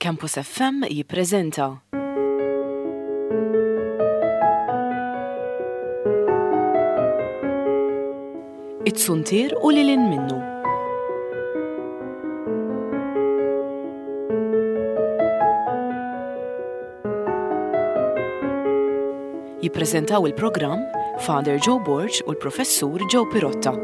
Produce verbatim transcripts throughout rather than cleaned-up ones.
Campus F M jippreżenta It-Suntier u lil hinn minnu. Jippreżentaw il-programm Father Joe Borg u l-Professur Joe Pirotta.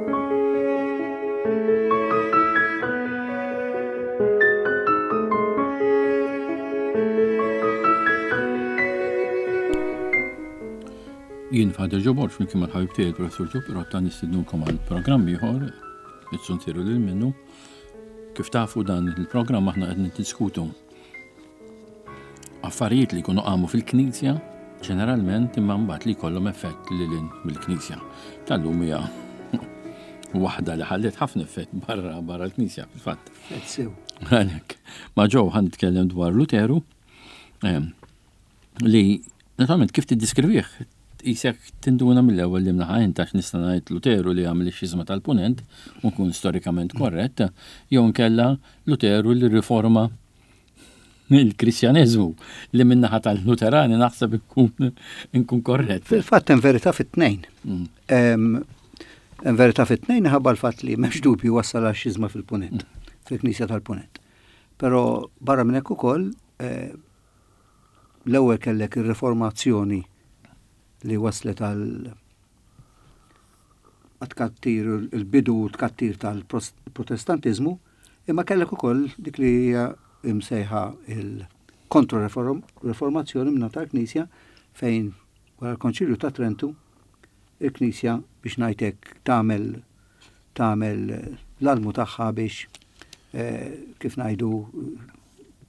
Jien Father Joe Borg, flimkien mal-ħabib tiegħi il-Professur Joe Pirotta, nistidnukom għal programm ieħor, It-Suntier u lil minnu. Kif tafu, dan il-programm aħna qed niddiskutu affarijiet li jkunu qamu fil-Knisja ġeneralment, imma mbagħad li jkollhom effett lil hinn mill-Knisja. Tal-lum hija waħda li ħallet ħafna effett barra barra l-Knisja fil-fatt. Sew. Għalhekk, ma' Joe ħa nitkellem dwar Luteru, em, li naturalment kif tiddiskrivih qisek tinduna mill-ewwel li mnaħa int, għax nista' ngħid Luteru li għamel ix-xiżma tal-Punent u nkun storikament korrett, jew nkella Luteru li riforma il-Kristjaneżmu, li min-naħa tal-Luterani naħseb nkun nkun korrett. Fil-fatt hemm verità fit-tnejn. Mm. Em, Hemm verità fit-tnejn ħabba l-fatt li m'hemmx dubju wassal għal xiżma fil-Punent, fil-Knisja tal-Punent. Però barra minn hekk ukoll eh, l-ewwel kellek ir-Riformazzjoni li waslet għal tkattir, il-bidu tkattir tal-Protestantiżmu, imma kellek ukoll dik li hija imsejħa il-kontro-reformazzjoni minna tal-Knisja, fejn wara l-Konċilju ta' Trentu il-Knisja, biex ngħidlek, tagħmel tagħmel l-almu tagħha biex eh, kif ngħidu,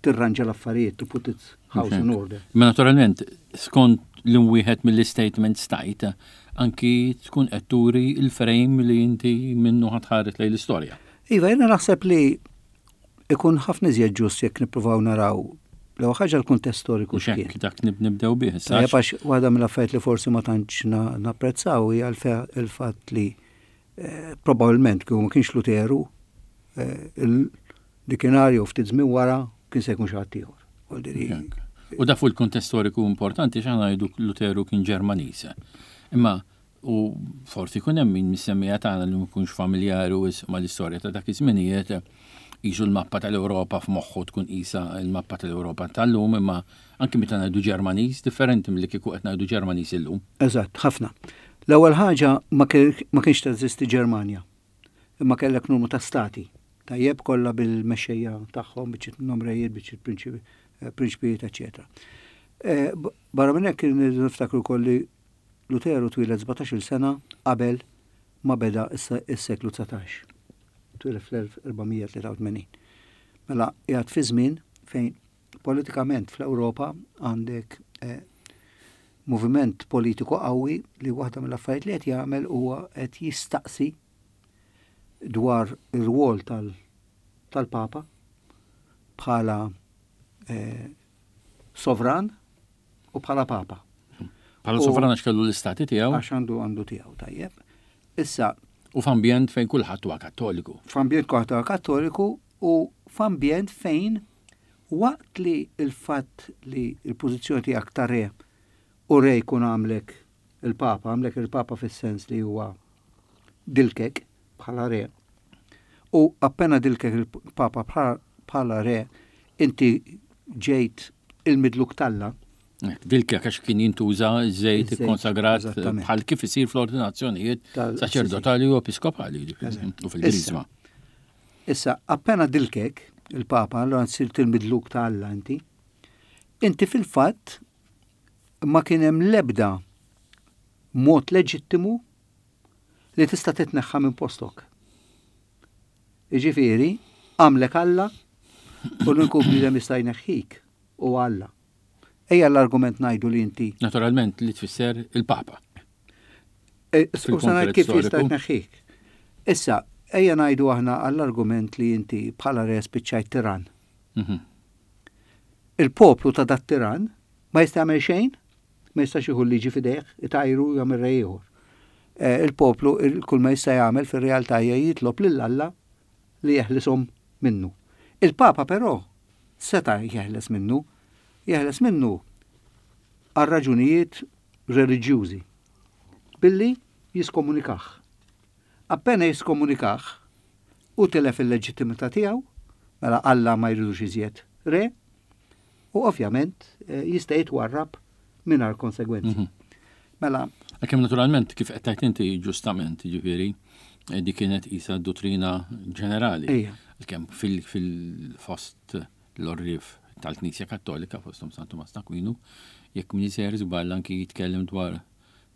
tirranġa l-affarijiet, to put its house in order. Ma naturalment, skont li wieħed mill-statements tajt, anki tkun qed turi il-frame li inti minnu ħa tħares lejn l-istorja. Iva, jena naħseb li ikun ħafna iżjed ġust jekk nippruvaw naraw l ħaġa l-kuntest storiku U x'kien. xek dak nib- nibdew bih. issa. Tajjeb, għax waħda mill-affarijiet li forsi ma tantx na- napprezzaw hija l-fe- il-fatt li eh, probabbilment kieku ma kienx Luteru, eh, il- dikinarju ftit żmien wara kien se jkun xi ħadd ieħor. Vuol dire, U da fuq il-kuntest storiku importanti, x'aħna ngħidu Luteru kien Ġermaniż. Imma u forsi jkun hemm min mis-semmiegħa tagħna li ma jkunx familjari wisq mal-istorja ta' dak iż-żminijiet, qisu l-mappa tal-Ewropa f'moħħu tkun qisha l-mappa tal-Ewropa tal-lum, imma anki meta ngħidu Ġermaniż differenti milli kieku qed ngħidu Ġermaniż illum. Eżatt, ħafna. L-ewwel ħaġa, ma kien- ma kienx teżisti Ġermanja, imma kellek numru ta' stati. Tajjeb, kollha bil-mexxejja tagħhom, biċċiet nomrejiet, biċċiet prinċipi- eh, prinċpijiet, eċċetera. Eh, b- Barra minn hekk niftakru wkoll li Luteru twieled sbatax-il sena qabel ma beda is- is-seklu dsatax. Twieled fl-elf erba' mija tlieta u tmenin. Mela qiegħed fi żmien fejn politikament fl-Ewropa għandek eh, moviment politiku qawwi li waħda mill-affarijiet li qed jagħmel huwa qed jistaqsi dwar ir-rwol tal- tal-Papa bħala eh, sovran u bħala Papa. Bħala U- sovran għax kellu l-istati tiegħu. Għax għandu għandu tiegħu, tajjeb. Issa, U f'ambjent fejn kulħadd huwa Kattoliku. F'ambjent kulħadd Kattoliku u f'ambjent fejn waqt li il-fatt li il-pożizzjoni tiegħek ta' re u re jkun għamlek il-Papa, għamlek il-Papa fis-sens li huwa dilkek bħala re. U appena dilkek il-Papa bħala- bħala re, inti ġejt il-midluk t'Alla. Hekk, dilkek għax kien jintuża żejt Iż-żejt, konsagrat eżattament. bħal kif isir fl-ordinazzjonijiet Tal- saċerdotali u episkopali Eżatt. u fil-Griżma. Issa, appena dilkek il-Papa, allora sirt il-midluk ta' Alla inti, inti fil-fatt ma kien hemm lebda mod leġittimu li tista' titneħħa minn postok. Iġifieri, għamlek Alla u l-uniku bniedem jista' jneħħik u Alla. Ejja l-argument ngħidu li inti Naturalment li tfisser il-Papa. E, Skuża, ngħid kif Fil-konkret jista' storiku. jneħħik. Issa, ejja ngħidu aħna għall-argument li inti bħala re spiċċajt tiran. Mhm. Il-poplu ta' dat tiran ma jista' jagħmel xejn, ma jistax jieħu l-liġi f'idejh, itajru, jagħmel re ieħor. Eh, Il-poplu il- kull ma jista' jagħmel fir-realtà hija jitlob lil Alla li jeħlishom minnu. Il-Papa però Seta' jeħles minnu, jeħles minnu għal raġunijiet reliġjużi billi jiskomunikah. Appena jiskomunikah u tilef il-leġittimità tiegħu, mela Alla ma jridux iżjed re, u ovvjament eh, jista' jitwarrab mingħajr konsegwenzi. Mhm. Mela, Għalkemm naturalment kif qed tgħid inti ġustament, jiġifieri, eh, di kienet isa dottrina ġenerali. Ejja. Għalkemm fil- fil-fost l-għorrief tal-Knisja Kattolika, fosthom San Tumas t'Akwinu, jekk m'iniex sejjer żball anki jitkellem dwar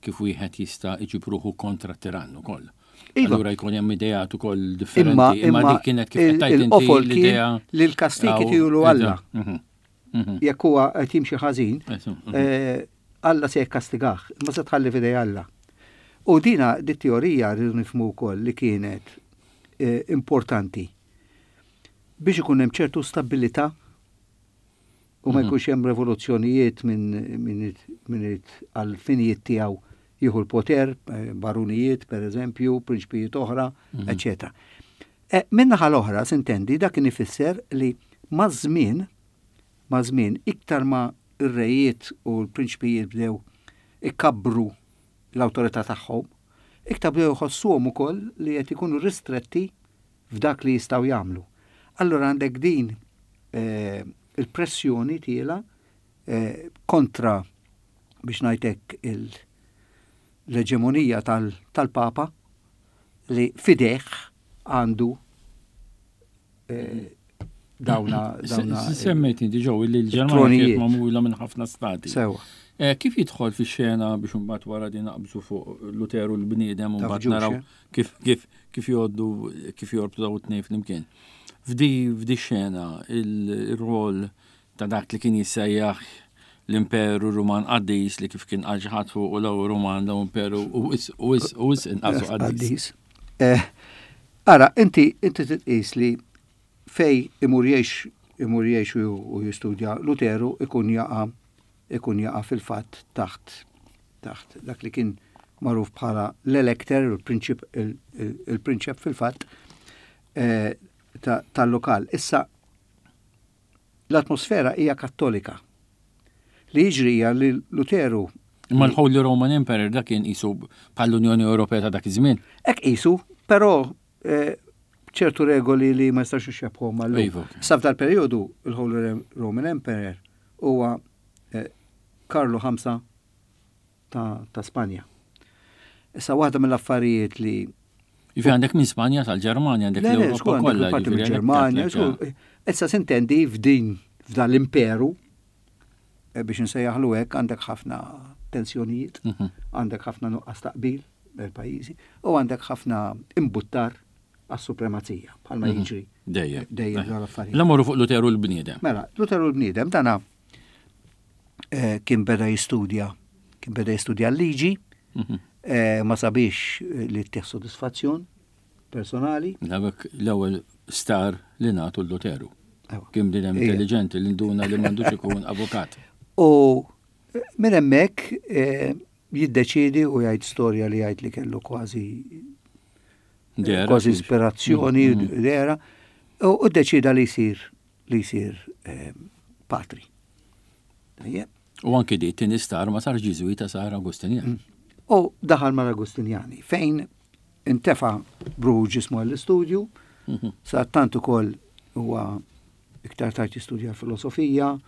kif wieħed jista' iġib ruħu kontra tirann ukoll. Iva. Allura jkun hemm ideat ukoll differenti, imma imma imma dik kienet kif qed tgħid inti il-qofol kien l-idea. li l-kastigi Aw, tijulu Alla. Mhm, mhm. Jekk huwa qed jimxi ħażin, Eżu, mhm. eh, Alla se jikkastigah, imma se tħalli f'idej Alla. U dina di teorija rridu nifhmu wkoll li kienet eh, importanti biex ikun hemm ċertu stabilità u ma Mhm. jkunx hemm revoluzzjonijiet minn min, min għal finijiet tiegħu jieħu l-poter, eh, barunijiet per eżempju, prinċpijiet oħra, Mhm. eċetera. E, Min-naħa l-oħra, sintendi, dak kien ifisser li maż-żmien, maż-żmien, iktar ma ir-rejiet u l-prinċpijiet bdew ikabbru l-awtorità tagħhom, iktar bdew jħossuhom ukoll li qed ikunu ristretti f'dak li jistgħu jagħmlu. Allura għandek din eh, il-pressjoni tiela eh, kontra biex ngħidlek il- l-eġemonija tal- tal-Papa li f'idejh għandu eh, dawna dawna Semmejt inti ġew li l-Ġermanja kienet tronijiet. magħmula minn ħafna stati. Sewa. Eh, Kif jidħol fi xena biex imbagħad wara din naqbżu fuq Luteru l-bniedem u Taf mbagħad ġux, naraw eh? kif kif kif jgħoddu kif jorbtu daw it-tnejn flimkien. F'di f'di xena il-rol ta' dak li kien jissejjaħ l-Imperu Ruman Qaddis li kif kien qal xi ħadd fuq u l Ruman l Imperu u is u is u is inqasu qaddis. Qaddis. Eh, Ara, inti inti titqis li fej imur jgħix imur jgħix u u jistudja Luteru ikun jaqa' ikun jaqa' fil-fatt taħt taħt dak li kien magħruf bħala l-elector, il-prinċip il-prinċep fil-fatt eh, ta- tal-lokal. Issa l-atmosfera hija kattolika. Li jiġri hija li Luteru Imma l-Holy Roman Emperor dak kien qisu bħall-Unjoni Ewropea ta' dak iż-żmien. Ek qisu, però eh, ċertu regoli li ma jistax ixxebħhom mal Iva, ok. Sa f'dal-perjodu il-Holy Roman Emperor huwa eh, Karlu ħamsa ta', ta' Spanja. Issa waħda mill-affarijiet li Jifi għandek minn Spanja tal-Ġermanja, għandek Le, le, l-Ewropa żgur, għandek kollha. parti jiġifieri, mill-Ġermanja, għandek- żgur. Issa sintendi f'din f'dan l-imperu eh, biex nsejjaħlu hekk għandek ħafna tensjonijiet, Mhm. għandek ħafna nuqqas taqbil bejn pajjiżi u għandek ħafna imbuttar għas-supremazija bħalma Mhm. jiġri Dejjem. dejjem dawn l-affarijiet. L-amorru fuq Luteru l-bniedem. Mela, Luteru l-bniedem dana eh, kien beda jistudja, kien beda jistudja l-liġi, Mhm. eh, ma sabiex eh, li ttih sodisfazzjon personali. Dawek l-ewwel star li nagħtu l-Luteru. Ewa. Kien bniedem Ija. intelligenti li nduna li m'għandux ikun avukat. U eh, minn hemmhekk eh, jiddeċidi u jgħid storja li jgħid li kellu kważi Dera, kważi kif- ispirazzjoni Mhm. dera u u ddeċida li jsir li jsir eh, patri. Tajjeb. U anki di tieni star ma sar Ġiżwita sar Agustinjan. Mm. U daħal mal-Agustinjani fejn intefa b'ruħu ġismu għall-istudju, Mhm. sa tant ukoll huwa iktar tard jistudja l-filosofija,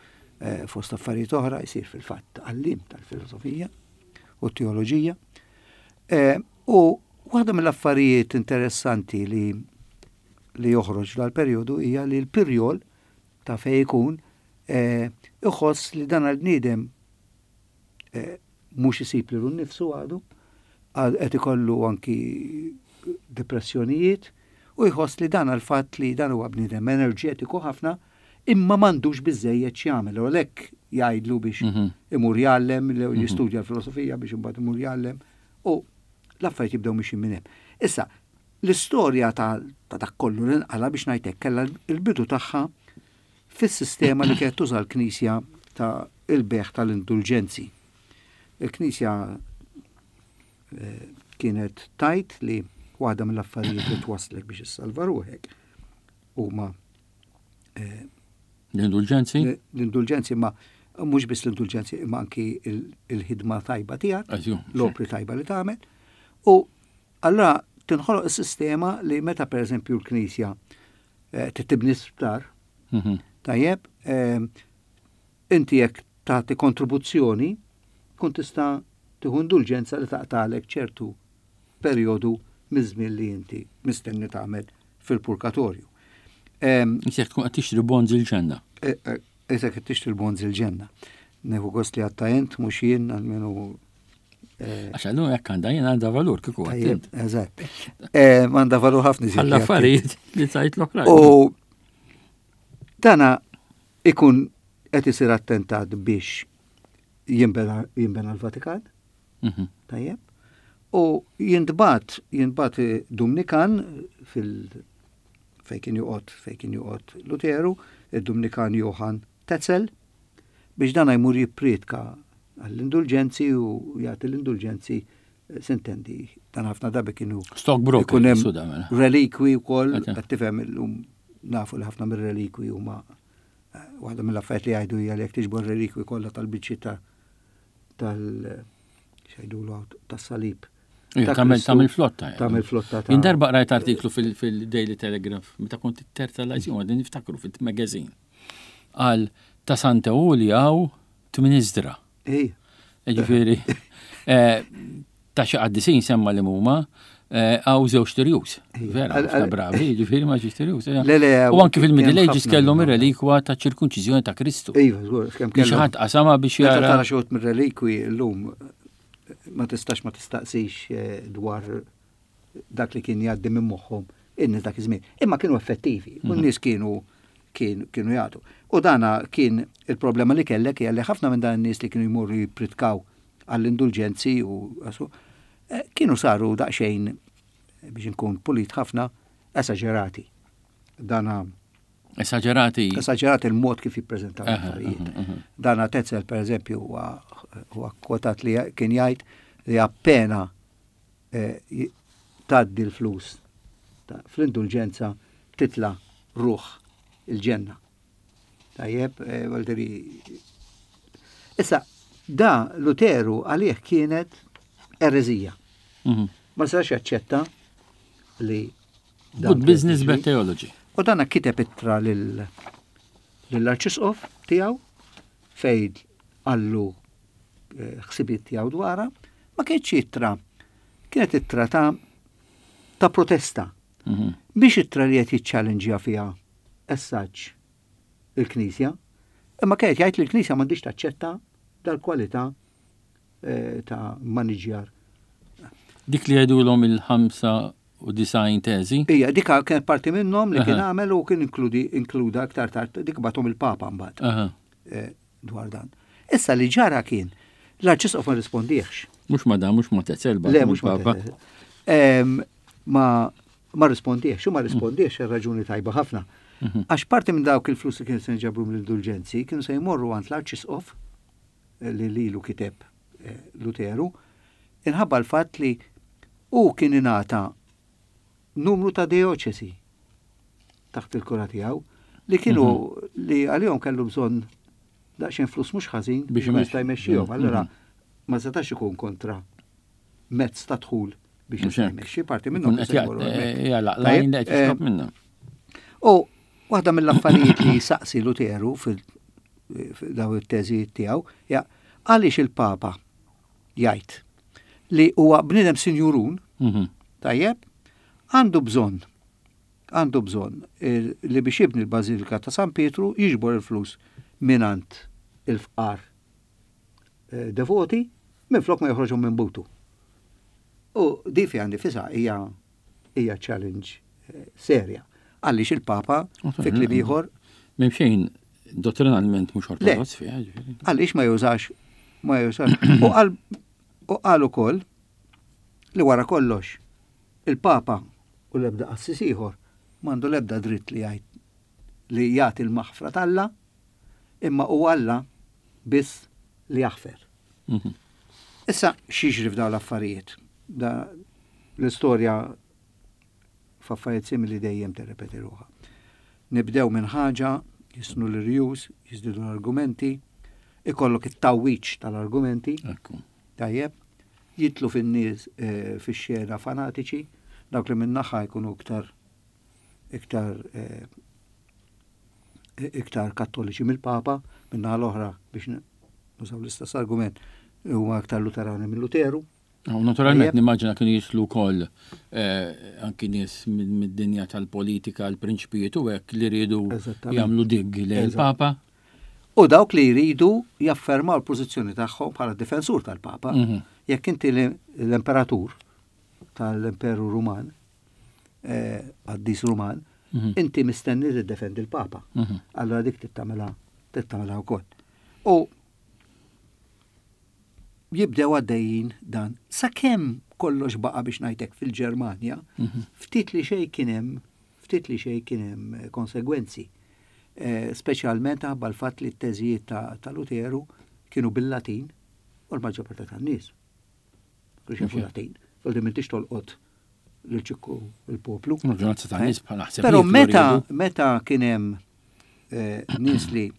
eh, fost affarijiet oħra jsir fil-fatt għallim tal-filosofija u teoloġija. Eh, U waħda mill-affarijiet interessanti li li joħroġ dal-perjodu hija li l-pirjol ta' fej ikun eh, iħoss li dan għal-bniedem eh, mhux isib lilu nnifsu għadu, għad qed ikollu anki depressjonijiet u jħoss li dan għal-fatt li dan huwa bniedem enerġetiku ħafna imma m'għandux biżejjed x'jagħmel u għalhekk jgħidlu biex Mhm. imur jgħallem, li jistudja l-filosofija biex imbagħad imur jgħallem u l-affarijiet jibdew mixin minn hemm. Issa, l-istorja ta' ta' dak kollu li nqala biex ngħidlek kellha l-bidu tagħha fis-sistema li kienet tuża l-Knisja ta' il-beħ tal-indulġenzi. Il-Knisja eh, kienet tajt li waħda mill-affarijiet li twasslek biex issalva ruħek huma eh, L-indulġenzi? L-indulġenzi, ma mhux biss l-indulġenzi, imma anki il-ħidma tajba tiegħek, l-opri tajba li tagħmel. U allura tinħoloq is-sistema li meta pereżempju l-Knisja eh, tibni sptar, mhm. tajjeb, eh, inti jekk tagħti kontribuzzjoni, kun tista' tieħu indulġenza li taqtalek ċertu perjodu miż-żmien li inti mistenni tagħmel fil-purgatorju. Isek tkun qed tixtri bonds il-ġenna. Eh, Isek qed tixtri bonds il-ġenna. Nieħu gost li għatta int mhux jien għalmenu. Eh, Għax għallu jekk għandha jien għandha valur kieku għattint. Eżatt. Eh, għandha valur ħafna iżjed. Għall-affarijiet li tajt l-oħrajn. U dana ikun qed isir attentat biex jinbena l-Vatikan. Mhm. Tajjeb. U jintbat, jintbat Dumnikan fil fejn kien joqgħod fejn kien joqgħod Luteru, id-Dumnikan Johann Tetzel, biex dan jmur jippriedka għall-indulġenzi u jagħti l-indulġenzi, eh, sintendi, dan ħafna drabi kienu Stockbroker, ikun hemm mela. relikwi wkoll, qed tifhem illum nafu li ħafna mir-relikwi huma eh, waħda mill-affarijiet li jgħidu hija li jekk tiġbor relikwi kollha tal-biċċi ta' tal x'jgħidulu tas-salib. Tagħmel tagħmel flotta. Tagħmel flotta. Jien darba qrajt artiklu fil-Daily Telegraph meta kont it-terza l għadni niftakru fil-magazine. Għal ta' Santa Uli għaw tmin iżdra. Ġifieri, eh, ta' xi qaddisin semma li huma eh, għaw żewġ tirjus. Vera, ħafna bravi, ġifieri ma ġiex tirjus. Le, le, U anki fil-Middle Ages kellhom ir-relikwa ta' ċirkunċiżjoni ta' Kristu. Iva, żgur, kemm kellhom. Xi ħadd qasama biex jara. Tara xi mir-relikwi llum ma tistax ma tistaqsix eh, dwar dak li kien jgħaddi minn moħħhom in-nies dak iż-żmien. Imma kienu effettivi, u mhm. n-nies kienu kienu jagħtu. U dana kien il-problema li kellek hija li ħafna minn dan in-nies li kienu jmorru jippritkaw għall-indulġenzi u eh, kienu saru daqsxejn biex inkun pulit ħafna esaġerati. Dana Esaġerati. Esaġerati il-mod kif jippreżentaw l-affarijiet. Dana Tetzel, per eżempju, huwa kwotat li kien jgħid li appena eh, tgħaddi l-flus fl-indulġenza titla ruħ il-ġenna. Tajjeb, eh, Valderi. Issa, da Luteru għalih kienet ereżija. Mhm. Ma setax jaċċetta li Good business, bad theology. U dana kiteb ittra lill-arċisqof tiegħu fejn qallu eh, ħsibiet tiegħu dwarha, ma kienx ittra, kienet ittra ta' ta' protesta. Mhm. Biex ittra li qed jiċċallenġja fiha essaġġ il-Knisja, imma kienet jgħid li l-Knisja m'għandix taċċetta dal-kwalità eh, ta' maniġjar. Dik li jgħidulhom il-ħamsa u disgħin teżi? Ija, dik kienet parti minnhom li kien għamel u kien inkludi inkluda aktar tard dik batom il-Papa mbagħad. Eh, dwar dan. Issa li ġara kien l-Arċisqof ma rispondiex. Mhux ma dan, mhux ma Tetzel Le, mhux ma Papa. Ma ma rispondiex, u ma rispondiex għal raġuni tajba ħafna. Mhm. Għax parti minn dawk il-flus li kienu se nġabru mill-indulġenzi kienu se jmorru għand l-Arċisqof eh, li lilu kiteb eh, Luteru, inħabba l-fatt li hu kien ingħata numru ta' dioċesi taħt il-kura tiegħu li kienu mhm. li għalihom kellu bżonn daqsxejn flus mhux ħażin biex jista' jmexxihom. Mhm. Allura ma setax ikun kontra mezz ta' dħul biex jista' jmexxi parti minnhom. Eh, u waħda mill-affarijiet li saqsi Luteru fil-daw it-teżijiet tiegħu, għaliex il-Papa jgħid li huwa bniedem sinjurun, mhm. tajjeb, għandu bżonn għandu bżonn eh, li biex jibni l-Bażilika ta' San Pietru jiġbor il-flus minant il-fqar eh, devoti minflok ma joħroġhom minn butu. U di fiha nifisha hija hija challenge eh, serja. Għaliex il-Papa fi kliem ieħor M'hemm xejn dottrinalment mhux ortodoss fiha. Għaliex ma jużax ma jużax. U qal u qal ukoll li wara kollox il-Papa u l-ebda qassis ieħor m'għandu l-ebda dritt li jgħid li jagħti l-maħfra t'Alla, imma hu Alla biss li jaħfer. Mhm. Issa x'jiġri f'dawn l-affarijiet? Da l-istorja f'affarijiet simili dejjem tirrepeti ruħha. Nibdew minn ħaġa Jisnu l-irjus, jiżdiedu l-argumenti, ikollok it-tawwiċ tal-argumenti. Tajjeb, jidħlu fin-nies eh, fix-xena fanatiċi, dawk li min-naħa jkunu iktar iktar eh, iktar kattoliċi mill-Papa, min-naħa l-oħra biex nużaw l-istess argument huma iktar Luterani minn Luteru. Naturalment nimmaġina kienu jidħlu wkoll eh, anki nies mid-dinja tal-politika, l-prinċpijiet u hekk li riedu jagħmlu dig lejn il-Papa. U dawk li jridu jaffermaw l-pożizzjoni tagħhom bħala difensur tal-Papa. Mhm. Jekk inti l-imperatur tal-Imperu Ruman, eh, qaddis Ruman, mhm. inti mistenni tiddefendi l-Papa. Mhm. Allora dik tittamela tittamela wkoll. U jibdew għaddejjin dan. Sakemm kollox baqa biex ngħidlek fil-Ġermanja, mhm. ftit li xejn kien hemm, ftit li xejn kien hemm eh, konsegwenzi. Eh, speċjalment ħabba l-fatt li t-teżijiet ta' Luteru kienu bil-Latin u l-maġġor parti tan-nies. Kienu jafu Latin. Voldi m'intix tolqot l-ċikku il-poplu. Eh? Però meta meta kien hemm nies li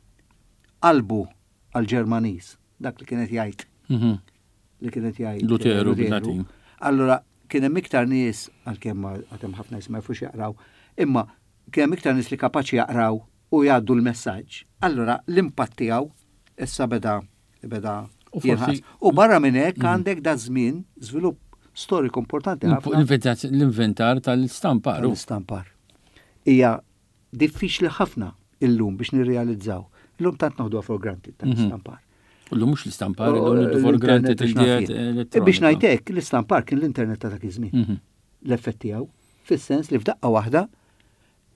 qalbu għal-Ġermaniż, dak li kienet jgħid mhm. li kienet jgħid Luteru bil-Latin. Allora kien hemm iktar nies għalkemm għad hemm ħafna nies ma jafux jaqraw, imma kien hemm iktar nies li kapaċi jaqraw u jgħaddu l-messaġġ. Allora l-impatt tiegħu issa beda beda jinħass. U barra minn hekk mhm. għandek da żmien żvilupp storiku importanti ħafna. L-inventar tal-istampar. L-istampar. Hija diffiċli ħafna illum biex nirrealizzaw. Illum tant noħdu for granted tal-istampar. U l mhux l-istampar, illum for granted il Biex ngħidlek, l-istampar kien l-internet ta' dak iż-żmien. Mhm. L-effett tiegħu, fis-sens li f'daqqa waħda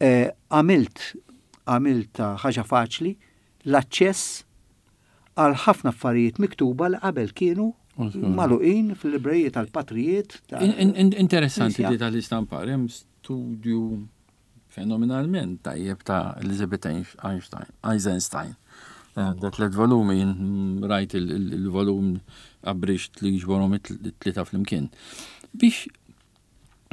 eh, għamilt għamilt ħaġa faċli l-aċċess għal ħafna affarijiet miktuba li qabel kienu magħluqin fil-libreriji tal-patrijiet. Interessanti li tal-istampar, hemm studju fenomenalment tajjeb ta' Elizabeth Einstein, Eisenstein. Eh, da tlet volumi, rajt il-volum abridged li jiġborhom it-tlieta flimkien. Biex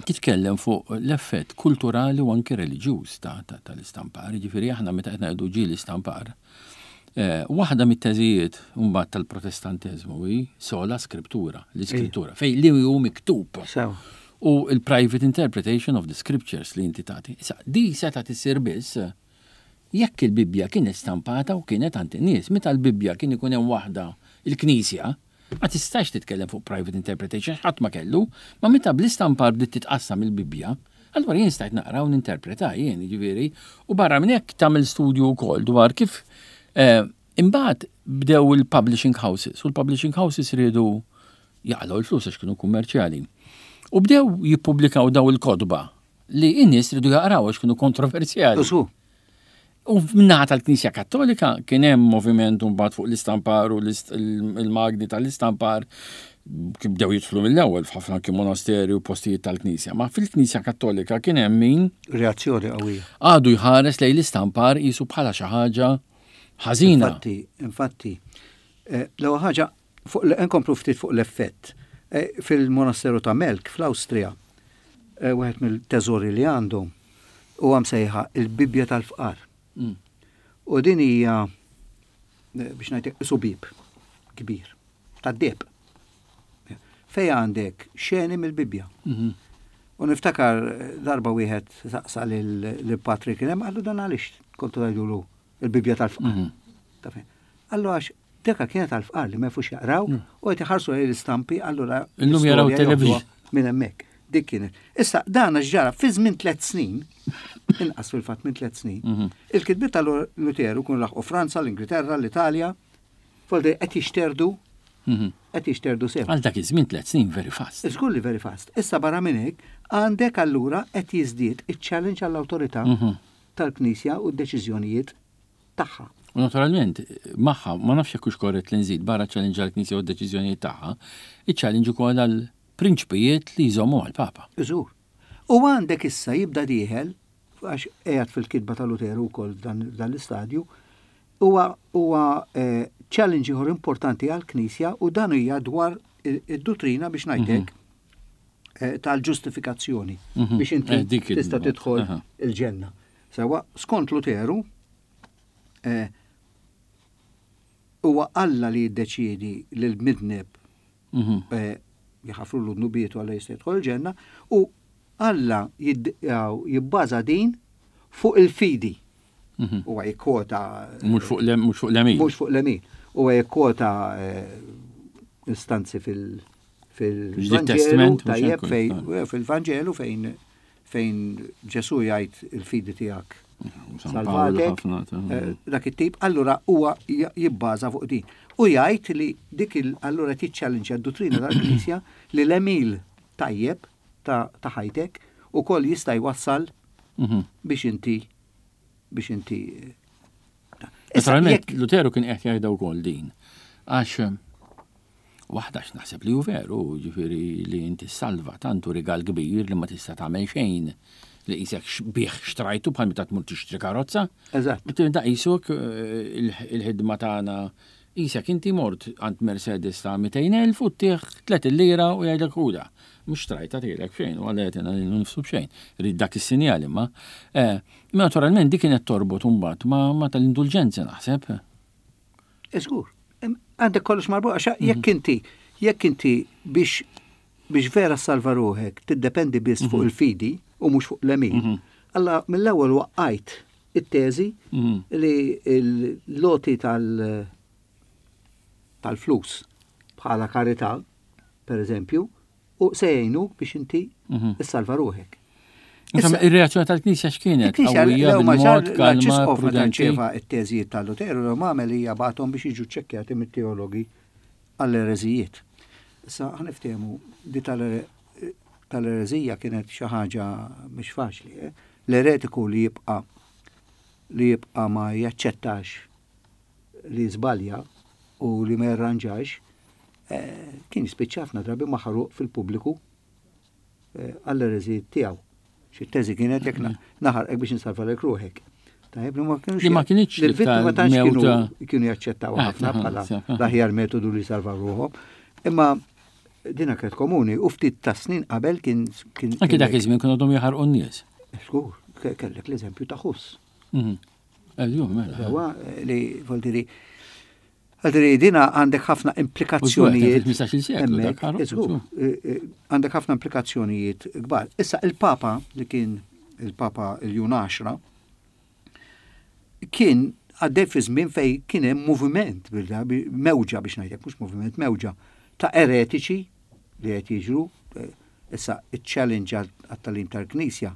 titkellem fuq l-effett kulturali u anki reliġjuż tal-istampar, ġifieri aħna meta qed ngħidu ġie l-istampar, eh, waħda mit-teżijiet mbagħad tal-Protestanteżmu hi sola scriptura, l-iskrittura, fej li hu miktub. U il-private interpretation of the scriptures li inti tagħti. Issa, di seta' tisir biss jekk il-Bibbja kienet stampata u kienet għand in-nies. Meta l-Bibbja kien ikun hemm waħda il-Knisja, ma tistax titkellem fuq private interpretation, ħadd ma kellu, ma meta bl-istampar bdiet titqassam il-Bibbja, allura jien stajt naqra u ninterpreta jien, ġifieri, u barra minn hekk tagħmel studju wkoll dwar kif eh, imbagħad bdew il-publishing houses, u l-publishing houses riedu jaqilgħu l-flus għax kienu kummerċjali. U bdew jippubblikaw daw il-kotba li in-nies riedu jaqraw għax kienu kontroversjali. U min-naħa tal-Knisja Kattolika kien hemm moviment mbagħad fuq l-istampar u l-magni tal-istampar kif bdew jidħlu mill-ewwel f'ħafna anki monasteri u postijiet tal-Knisja. Ma fil-Knisja Kattolika kien hemm min reazzjoni qawwija. Għadu jħares lejn l-istampar qisu bħala xi ħaġa ħażina. Infatti, infatti, eh, l-ewwel ħaġa fuq nkomplu ftit fuq l-effett. Eh, fil-monasteru ta' Melk fl-Awstrija, eh, wieħed mill-teżori li għandhom huwa msejħa il-Bibbja tal-Fqar. Mm. U din hija eh, biex ngħidlek subib kbir tad-deheb. Fej għandek xeni mill-Bibbja. Mhm. U niftakar darba wieħed saqsa lil Patrick kien hemm qallu dan għaliex kontu tgħidulu il-Bibbja tal-fqar. Mhm. Qallu għax deka kienet tal-fqar li ma jafux jaqraw mm. u qed iħarsu lejn l-istampi allura illum jaraw television minn hemmhekk. Dik kienet. Issa dan għax ġara fi żmien tliet snin, inqas fil-fatt minn tliet snin, mhm. il-kitbiet tal-Luteru kun laħqu Franza, l-Ingilterra, l-Italja, foldi qed jixterdu mhm. qed jixterdu sew. Għal dak iż-żmien tliet snin very fast. Żgur li very fast. Issa barra minn hekk għandek allura qed jiżdied iċ-challenge għall-awtorità mhm. tal-Knisja u d-deċiżjonijiet tagħha. U naturalment, magħha, ma nafx jekk hux korrett li nżid barra challenge għall-Knisja u d-deċiżjonijiet tagħha, iċ-challenge ukoll għal prinċpijiet li jżommu għal-Papa. Żgur. U għandek issa jibda dieħel, għax qiegħed fil-kitba ta' Luteru wkoll dan l-istadju, huwa huwa eh, challenge ieħor importanti għall-Knisja u dan hija dwar id-dottrina biex ngħidlek mhm. eh, tal-ġustifikazzjoni mhm. biex inti eh, tista' tidħol il-ġenna. Sewa, skont Luteru, Eh, huwa Alla li jiddeċiedi li l-midneb Mhm. eh, jaħafrulu dnubietu Alla jista' jidħol il-ġenna u Alla jidd- jaw, jibbaża din fuq il-fidi. Mhm. Huwa jikkwota Mhux fuq l- mhux fuq l-għemil. mhux fuq l-għemil. Huwa jikkwota eh, istanzi fil Ġdid fil-Vanġelu, Testament, mhux tajjeb hekk, fejn fil-Vanġelu fejn fejn Ġesu jgħid il-fidi tiegħek San Pawl salvatek, ħafna ta' eh, dak it-tip, allura huwa j- jibbaża fuq din. U jgħid li dik il allura tiċċallenġja d-dottrina tal-Knisja li l-għemil tajjeb ta' ta' ħajtek ukoll jista' jwassal Mhm. biex inti biex inti Issa, Naturalment, jekk- Luteru kien qed jgħidha wkoll din. Għax eh, waħda naħseb li hu veru, ġifieri li inti salva tantu rigal kbir li ma tista' tagħmel xejn li qisek bih xtrajtu bħal meta tmur tixtri karozza. Eżatt. Da qisuk eh, il- il-ħidma tagħna qisek inti mort għand Mercedes ta' mitejn elf u ttih tliet lira u jgħidlek ħuda. Mhux xtrajta tielek xejn, u għalla jagħtina lilu nifsu b'xejn. Rid dak is-sinjal imma. Eh, Imma naturalment dik kienet torbot imbagħad ma, ma tal-indulġenza naħseb. Żgur, għandek kollox marbut, għax jekk inti, jekk inti biex biex vera salva ruħek tiddependi biss fuq il-fidi u mhux fuq l-għemil. Alla mill-ewwel waqqajt it-teżi Mhm. li l-għoti tal tal-flus bħala karità, per eżempju, u se jgħinu biex inti Mhm. issalva ruħek. Insomma, ir-reazzjoni tal-Knisja x'kienet? Il-Knisja Qawwija l ma bil-mod, kalma, l-Arċisqof meta prudenti. rċeva it-teżijiet tal-Luteru, l għamel hija bagħathom biex jiġu ċċekkjati mit-teologi għall-ereżijiet. Issa ħa niftehmu di tal-ereżija kienet xi ħaġa mhix faċli. eh? L-eretiku li jibqa' li jibqa' ma jaċċettax li żbalja u li ma jirranġax, eh, kien jispiċċa ħafna drabi maħruq fil-pubbliku eh, għall-ereżijiet tiegħu. Xi teżi kienet jekk na- naħarqek biex insalvalek ruħek. Tajjeb li ma kienux Li ma kinitx li l-vittma l-iktar tantx kienu mewta- kienu jaċċettaw Ah, ħafna aha, bħala sew, aha. l-aħjar metodu li salvaw ruħhom. Imma dina kienet komuni u ftit ta' snin qabel kien kien Anki dak iż-żmien kienu għadhom jaħarqu n-nies. Żgur, ke- kellek l-eżempju ta' Hus. Mhm. Ejju, mela. Sewa, eh, li voldiri Għadri, dina għandek ħafna implikazzjonijiet. fil-ħmistax-il seklu, dak Hemmhekk, ħaruq, żgur, eh, eh, għandek ħafna implikazzjonijiet kbar. Issa il-Papa li kien il-Papa il-Ljun għaxra kien għaddej fi żmien fej kien hemm moviment, bilda, bi- mewġa biex ngħidlek, mhux moviment, mewġa ta' eretiċi li qed jiġru. eh, Issa iċ-challenge għat-tagħlim tal-Knisja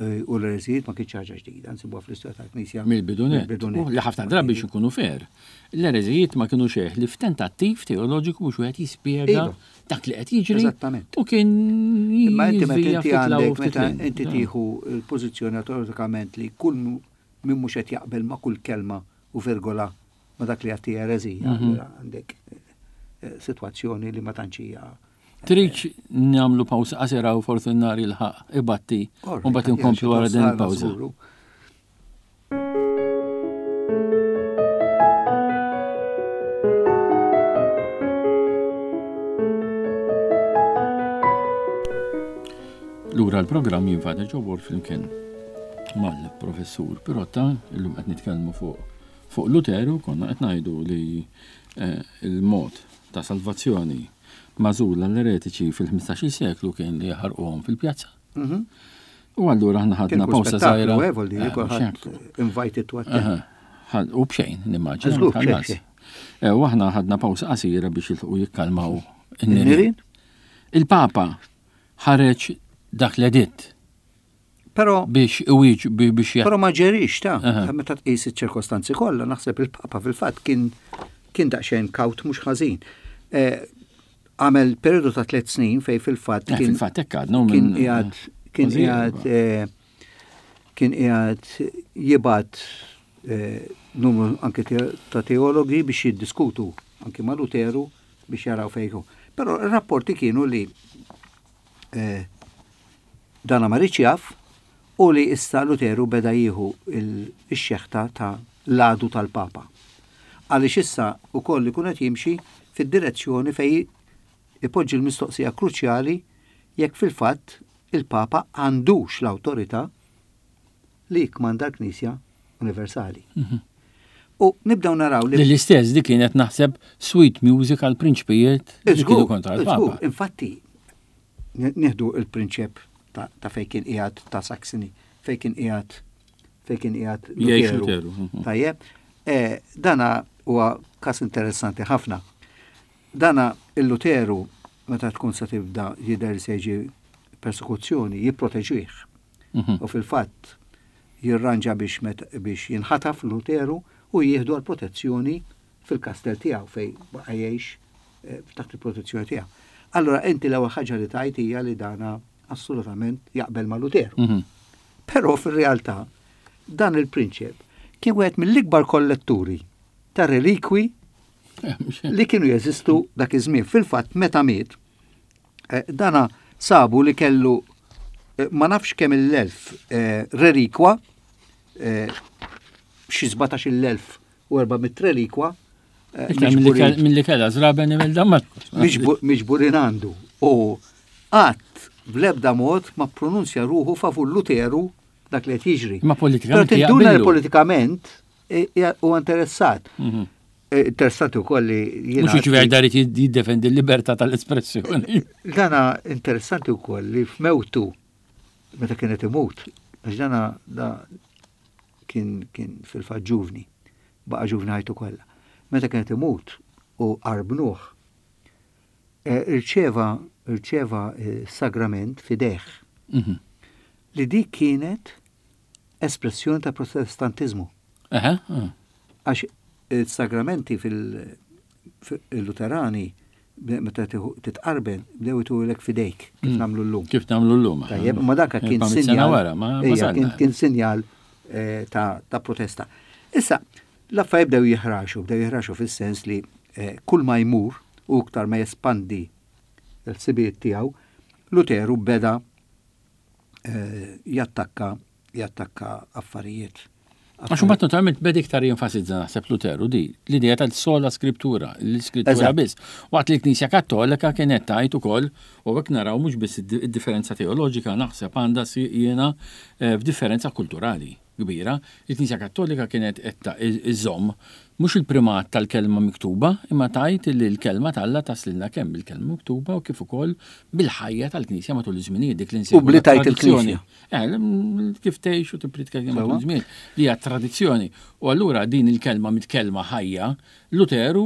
eh, u l-ereżijiet ma kienx ħaġa ġdida, nsibuha fl-istorja tal-Knisja. Mill-bidu nett. Mill-bidu nett. U li ħafna drabi biex ikunu fair. L-ereżijiet ma kienu xejn ħlief tentattiv teoloġiku biex wieħed jispjega Iva. dak li qed jiġri. Eżattament. U kien Imma inti meta jiżvija inti ftit law għandek ftit meta lejn. inti tieħu l-pożizzjoni automatikament li kull mu- min mhux qed jaqbel ma' kull kelma u virgola ma' dak li għatti ereżija, Mhm. allura għandek eh, sitwazzjoni li ma tantx hija. Tridx nagħmlu pawsa qasira u forsi n-nar jilħaq ibatti u mbagħad inkomplu wara din il-pawża. Żguru. Lura l-programm jien Father Joe Borg flimkien mal-professur Pirotta, illum qed nitkellmu fuq fuq Luteru, konna qed ngħidu li eh, il-mod ta' salvazzjoni magħżul għall-eretiċi fil-ħmistax-il seklu kien li jaħarquhom fil-pjazza. Mhm. U allura aħna Kien ħadna kull pawsa żgħira. spettaklu, eh, vol dire, Eh, kulħadd mhux hekk. invited to attend. Aha. Ħad- U bxejn, nimmaġina. Żgur, ma tħallas. bxejn, Eh, U aħna ħadna pawsa qasira biex jilħqu jikkalmaw in-nirien. In-nirien? Il-Papa ħareġ dak l-editt Però biex iwieġ biex Però ma ġerix ta' Aha. meta tqis iċ-ċirkostanzi kollha, naħseb il-Papa fil-fatt kien kien daqsxejn kawt mhux ħażin. Eh, Għamel periodu ta' tliet snin fej fil-fatt Eh, kien fil-fatt hekk għadna u kien minn- qiegħed kien kważi qiegħed eh, kien qiegħed jibgħat eh, numru anke te- ta' teologi biex jiddiskutu anke ma' Luteru biex jaraw fejn hu. Però r-rapporti kienu li eh, dana ma riedx jaf u li issa Luteru beda jieħu il- ix-xeħta ta' l-għadu tal-Papa. Għaliex issa ukoll ikun qed jimxi fid-direzzjoni fej ipoġġi l-mistoqsija kruċjali jekk fil-fatt il-Papa għandux l-awtorità li jikmanda l-Knisja Universali. Mhm. U nibdew naraw li L-istess di kienet naħseb sweet music għal prinċpijiet li kienu kontra l-Papa. Infatti, nieħdu il-prinċep ta' fejn kien qiegħed ta' Saxony, fejn kien qiegħed fejn kien qiegħed Luteru. Mhm. Tajjeb, eh, dana huwa każ interessanti ħafna. Dana il-Luteru meta tkun se tibda jidher se jiġi persekuzzjoni jipproteġih. Mhm. U fil-fatt jirranġa biex biex jinħataf Luteru u jieħdu għal protezzjoni fil-kastell tiegħu fej baqa' jgħix eh, taħt il-protezzjoni tiegħu. Allora inti l-ewwel ħaġa li tajt hija li dana assolutament jaqbel ma' Luteru. Mhm. Però fir-realtà dan il-prinċep kien wieħed mill-ikbar kolletturi ta' relikwi li kienu jeżistu dak iż-żmien. Fil-fatt meta miet, eh, dana sabu li kellu eh, ma nafx kemm il-elf relikwa, xi sbatax-il elf u erba' mitt relikwa. Mill-li kella żraben mill Miġburin għandu. U qatt bl-ebda mod ma pronunzja ruħu favur Luteru dak li qed jiġri. Ma politikament. Tinduna li politikament huwa interessat. Mhm. Interessanti wkoll li jiena. Mhux ġifieri darit jiddefendi l-libertà tal-espressjoni. Dana interessanti wkoll li f'mewtu meta kienet imut, għax dana da kien kien fil-fatt ġuvni, baqa' ġuvni ħajtu kollha. Meta kienet imut u qarbnuh, eh, irċeva irċeva eh, sagrament f'idejh. Mhm. Li dik kienet espressjoni ta' Protestantizmu. Għax il-sagramenti fil-Luterani meta titqarben bdew itulek f'idejk kif mm. nagħmlu llum. Kif nagħmlu llum. Tajjeb, ma dak kien sinjal. Kien sinjal eh, ta' protesta. Issa, l-affarijiet bdew jiħraxu, bdew jiħraxu fis-sens li eh, kull ma jmur u iktar ma jespandi l-ħsibijiet tiegħu, Luteru beda eh, jattakka jattakka affarijiet. Għax mbagħad naturalment beda iktar jenfasizza naħseb Luteru di l-idea tal-sola scriptura, l-iskrittura biss. Waqt li l-Knisja Kattolika kienet tajt ukoll u hekk naraw mhux biss id-differenza teoloġika, naħseb għandha jiena eh, f'differenza kulturali kbira. Il-Knisja Kattolika kienet qed iżomm mhux il-primat tal-kelma miktuba, imma tajt li l-kelma t'Alla taslilna kemm bil-kelma miktuba u kif ukoll bil-ħajja tal-Knisja matul iż-żminijiet, dik li U bli tajt il-Knisja. Eh, kif tgħix u tippritka matul iż-żmien li hija tradizzjoni. U allura din il-kelma mit-kelma ħajja, Luteru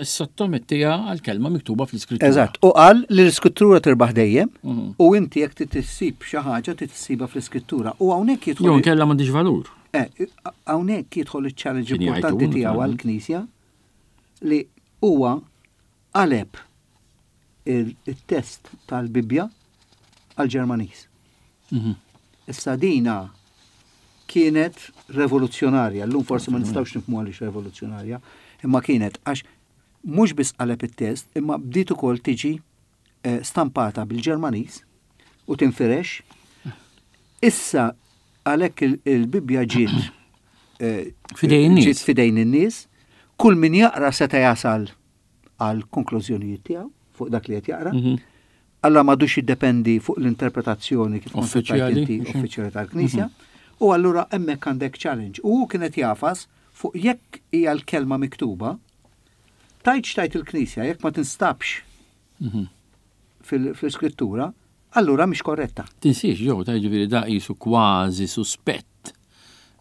sottomettiha għal-kelma miktuba fl-iskrittura. Eżatt, u qal li l-iskrittura tirbaħ dejjem mhm. u inti jekk tissib xi ħaġa tissibha fl-iskrittura. U hawnhekk jidħol. Jew kella m'għandix valur. Eh, hawnhekk jidħol iċ-challenge importanti tiegħu għall-Knisja li huwa qaleb il-test tal-Bibbja għal-Ġermaniż. Mhm. Issa dina kienet revoluzzjonarja, llum forsi ma nistgħux nifhmu għaliex revoluzzjonarja, imma kienet għax mhux biss qaleb it-test, imma bdiet ukoll tiġi eh, stampata bil-Ġermaniż u tinfirex. Issa għalhekk il-Bibbja ġiet eh, fidejn ġiet fidejn in-nies, kull min jaqra seta' jasal għal konklużjonijiet tiegħu fuq dak li qed jaqra. Mhm. Alla m'għadux jiddependi fuq l-interpretazzjoni kif uffiċjali uffiċjali tal-Knisja. Mhm. U allura hemmhekk għandek challenge. U kienet jafas fuq jekk hija l-kelma miktuba, tajt xtajt il-Knisja, jekk ma tinstabx mhm. fil-iskrittura, allura mhix korretta. Tinsiex, ġew, ta' ġifieri da qisu kważi suspett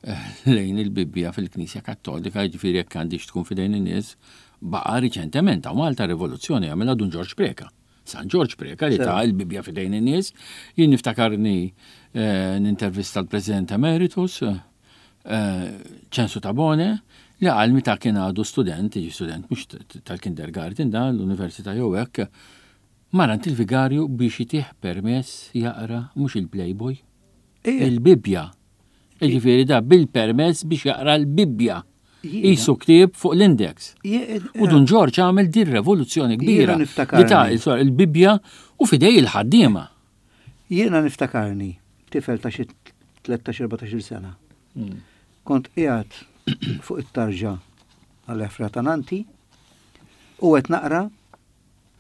eh, lejn il-Bibbja fil-Knisja Kattolika, ġifieri jekk għandix tkun fidejn in-nies, baqa' riċentement hawn Malta rivoluzzjoni għamilha Dun Ġorġ Preca. San Ġorġ Preca li ta l-Bibbja fidejn in-nies. Jien niftakarni eh, nintervista l-President Emeritus, eh, Ċensu Tabone, li għal meta kien għadu student, jiġi student mhux tal-kindergarten da l-università jew hekk, mar għand il-vigarju biex jitih permess jaqra mhux il-Playboy, il-Bibbja. Jiġifieri da bil-permess biex jaqra l-Bibbja. Qisu ktieb fuq l-index. U Dun Ġorġ għamel din revoluzzjoni kbira. Li ta' il-Bibbja u fidej il-ħaddiema. Jiena niftakarni, tifel ta' xi tlettax erbatax-il sena. Hmm. Kont qiegħed fuq it-tarġa għall-ħefra ta' nanti u qed naqra.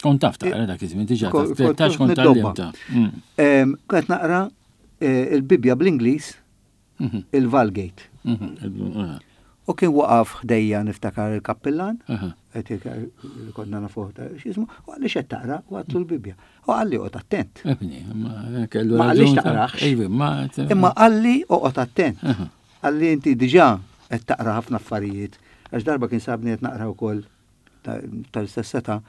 Kont taf taqra dak iż-żmien diġà, ta' tlettax kont tgħallimta. Hmm. Kont naqra eh, il-Bibbja bl-Ingliż, mhm. il-Vulgate. Mhm. U kien waqaf ħdejja, niftakar, il-kappillan, li konna nafuh ta' x'jismu, u qalli, "X'qed taqra?" U għedtlu l-Bibja. U qalli, "Oqgħod attent." Ebni, ma kellu Ma qallix taqrax. Imma qalli, "Oqgħod attent." Qalli, "Inti diġà qed taqra ħafna affarijiet." Għax darba kien sabni qed naqra wkoll, tal-istess seta,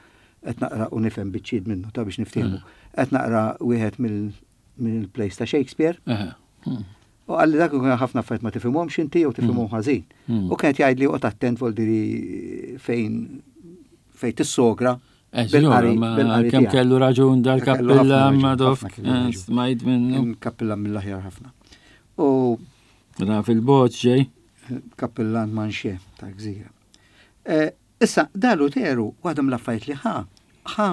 qed naqra u nifhem biċċiet minnu ta' biex niftehmu. Qed naqra wieħed mill-plays ta' Shakespeare. Hmm. U qalli dak ikun ħafna affarijiet ma tifhimhomx inti jew tifhimhom mm. ħażin. Mm. U kienet jgħid li oqgħod attent, voldiri fejn fejn tissogra. Kemm kellu raġun dal-kappilla Madoff, eh, smajt minnu. Kappilla mill-aħjar ħafna. U Ra fil-bot ġej. Kappillan manxie ta' gżira. Eh, issa, da Luteru, waħda mill-affarijiet li ħa, ħa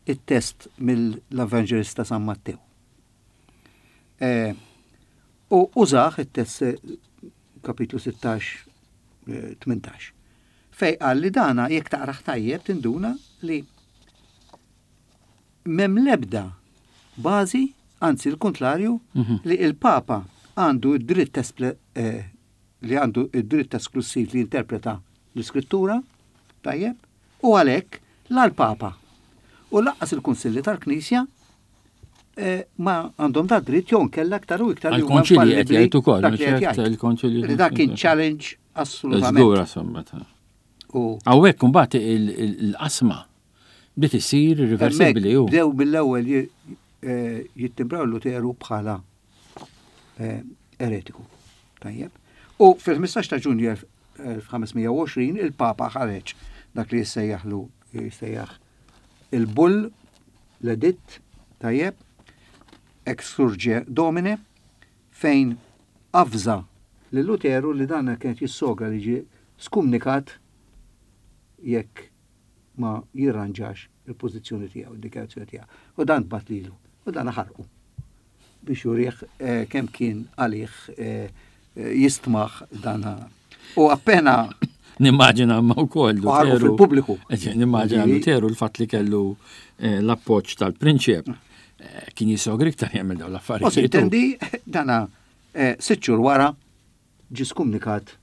it-test mill-Evangelista San Mattew. Eh, u użah it-test, kapitlu sittax, tmintax. Fej qal li dana jekk taqraħ tajjeb tinduna li m'hemm lebda bażi, anzi l-kontlarju, mhm. li il-Papa għandu id-dritt eh, li għandu id-dritt esklusiv li jinterpreta l-iskrittura, tajjeb, u għalhekk la l-Papa u lanqas il-Kunsilli tal-Knisja eh, ma għandhom da dritt, jew nkella aktar u iktar li huma qed jgħid ukoll, il-konċilji. Li dak kien challenge assolutament. Żgur, insomma. U hawnhekk imbagħad il-qasma bdiet issir irreversibbli. Bdew mill-ewwel eh, jittimbraw Luteru bħala eh, eretiku. Tajjeb. U fil-ħmistax ta' Ġunju elf ħames mija u għoxrin il-Papa ħareġ dak li jissejjaħlu jissejjaħ il-bull, l-editt, tajjeb, Exsurge Domine, fejn avża li Luteru li dan kienet jissogra li ġi skumnikat jekk ma jirranġax il-pożizzjoni tiegħu, id-dikjarazzjoni tiegħu. U dan bagħat lilu, u dan ħarqu biex jurih eh, kemm kien għalih eh, jistmaħ dan. U appena Nimmaġina ma wkoll Luteru. Fil-pubbliku. Nimmaġina Luteru, l-fatt li kellu eh, l-appoġġ tal-prinċep, kien jisogri iktar jagħmel dawn l-affarijiet. U intendi dana sitt xhur wara ġi skumnikat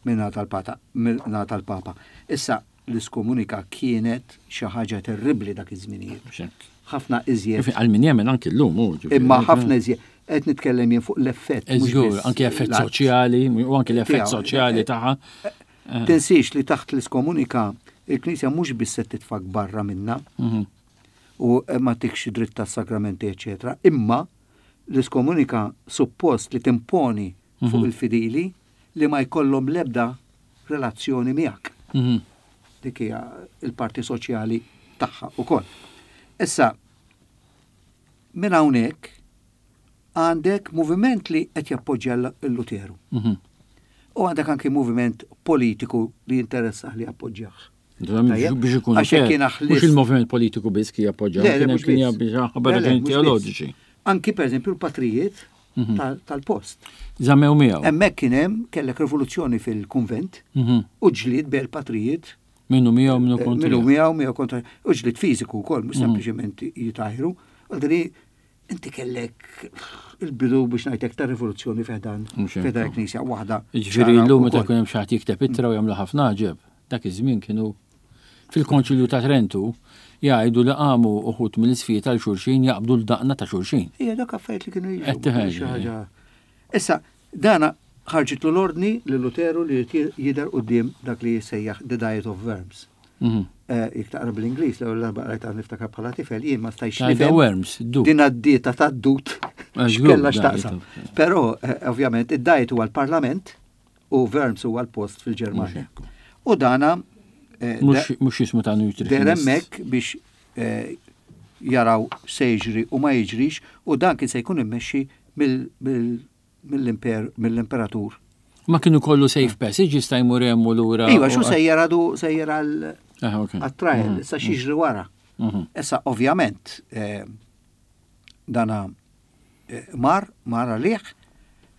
minna tal-pata, minna tal-papa. Issa l-iskomunika kienet xi ħaġa terribbli dak iż-żminijiet. Ħafna iżjed. Għal min jemmen anki llum. Imma ħafna iżjed. Qed nitkellem jien fuq l-effett. Żgur, anki effett soċjali, u anki l-effett soċjali tagħha. Eh. Tinsiex li taħt l-iskomunika il-Knisja mhux biss se titfak barra minna mhm. u ma tikx dritt tas-sagramenti, eċetera, imma l-iskomunika suppost li timponi fuq mhm. il-fidili li ma jkollhom lebda relazzjoni miegħek. Mhm. Dik hija il-parti soċjali tagħha ukoll. Issa, minn hawnhekk għandek moviment li qed jappoġġja l-Luteru. Mhm. U għandek anki moviment politiku li jinteressah li jappoġġjah. Biex ikun mhux il-moviment politiku biss ki jappoġġja, kien jappoġġja teoloġiċi. Anki per eżempju l-patrijiet mhm. tal-post. Żammew miegħu. Hemmhekk kien hemm, kellek rivoluzzjoni fil-kunvent mhm. u ġlied bejn patrijiet. Minnu miegħu, minnu kontra. Minnu miegħu, miegħu kontra. U ġlied fiżiku wkoll, mhux mhm. sempliċement jitajru. Għaldri inti kellek il-bidu, biex ngħidlek, ta' rivoluzzjoni fi ħdan fi ħdan knisja waħda. Ġifieri llum meta jkun hemm xi ħadd jikteb ittra u jagħmlu ħafna ġeb. Dak iż-żmien kienu fil-Konċilju ta' Trentu jgħidu li qamu uħud mill-isfijiet tal xulxin jaqbdu l-daqna ta' xulxin. Ija, dak affarijiet li kienu jiġu. Issa, dana ħarġitlu l-ordni li Luteru li jidher quddiem dak li jissejjaħ The Diet of Worms. Mhm. Eh, jekk taqra bl-Ingliż, l-ewwel darba qrajtha niftakar bħala tifel, jien ma stajtx nifhem. Worms, Din għad-dieta tad-dut x'kellha x'taqsam. Però eh, ovvjament id-Diet huwa l-Parlament u Worms huwa l-post fil-Ġermanja. U dana eh, Mhux jismu ta' nutritionist. Der hemmhekk biex jaraw se jiġri u ma jiġrix, u dan kien se jkun immexxi mill-imperatur. Ma kienu kollu safe passage, jista' jmur hemm u lura. Iva, xu sejjer għadu sejjer għal ah, trial, mhm. issa x'jiġri wara. Mhm. Issa ovvjament eh, dana eh, mar, mar għalih,